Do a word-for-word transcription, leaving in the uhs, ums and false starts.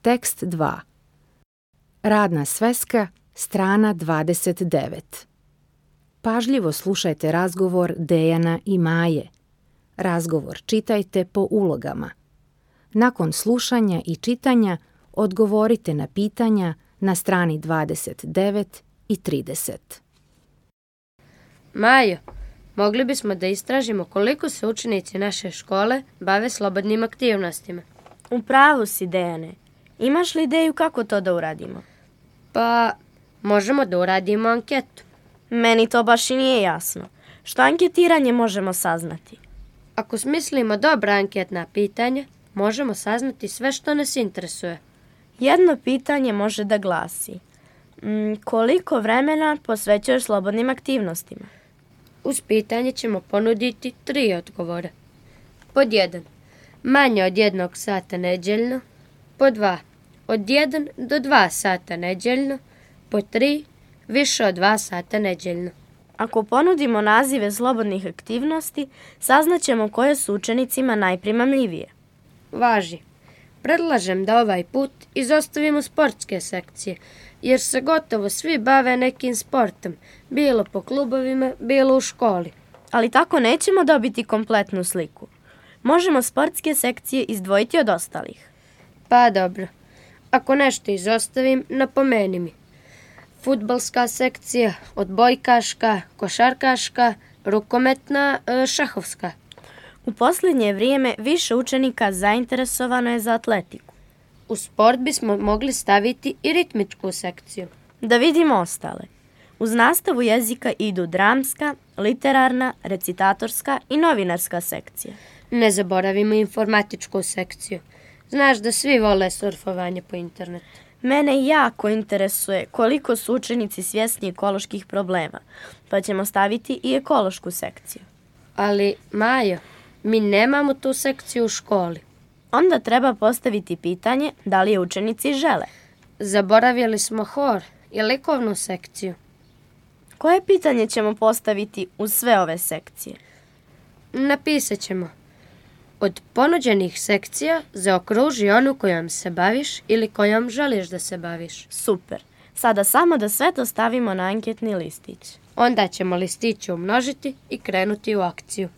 Tekst dva. Radna sveska, strana dvadeset devet. Pažljivo slušajte razgovor Dejana i Maje. Razgovor čitajte po ulogama. Nakon slušanja i čitanja odgovorite na pitanja na strani dvadeset devet i trideset. Majo, mogli bismo da istražimo koliko se učenici naše škole bave slobodnim aktivnostima. U pravu si, Dejane. Imaš li ideju kako to da uradimo? Pa, možemo da uradimo anketu. Meni to baš i nije jasno. Što anketiranje možemo saznati? Ako smislimo dobra anketna pitanja, možemo saznati sve što nas interesuje. Jedno pitanje može da glasi: mm, koliko vremena posvećuješ slobodnim aktivnostima? Uz pitanje ćemo ponuditi tri odgovora. Pod jedan, manje od jednog sata nedeljno. Pod dva, od jedan do dva sata nedeljno. Pod tri, više od dva sata nedeljno. Ako ponudimo nazive slobodnih aktivnosti, saznaćemo koje su učenicima najprimamljivije. Važi. Predlažem da ovaj put izostavimo sportske sekcije, jer se gotovo svi bave nekim sportom, bilo po klubovima, bilo u školi. Ali tako nećemo dobiti kompletnu sliku. Možemo sportske sekcije izdvojiti od ostalih. Pa dobro. Ako nešto izostavim, napomeni mi. Fudbalska sekcija, odbojkaška, košarkaška, rukometna, šahovska. U posljednje vrijeme više učenika zainteresovano je za atletiku. U sport bismo mogli staviti i ritmičku sekciju. Da vidimo ostale. Uz nastavu jezika idu dramska, literarna, recitatorska i novinarska sekcija. Ne zaboravimo informatičku sekciju. Znaš da svi vole surfovanje po internetu. Mene jako interesuje koliko su učenici svjesni ekoloških problema, pa ćemo staviti i ekološku sekciju. Ali, Majo, mi nemamo tu sekciju u školi. Onda treba postaviti pitanje da li je učenici žele. Zaboravili smo hor i likovnu sekciju. Koje pitanje ćemo postaviti uz sve ove sekcije? Napisat ćemo: od ponuđenih sekcija zaokruži onu kojom se baviš ili kojom želiš da se baviš. Super. Sada samo da sve to stavimo na anketni listić. Onda ćemo listiće umnožiti i krenuti u akciju.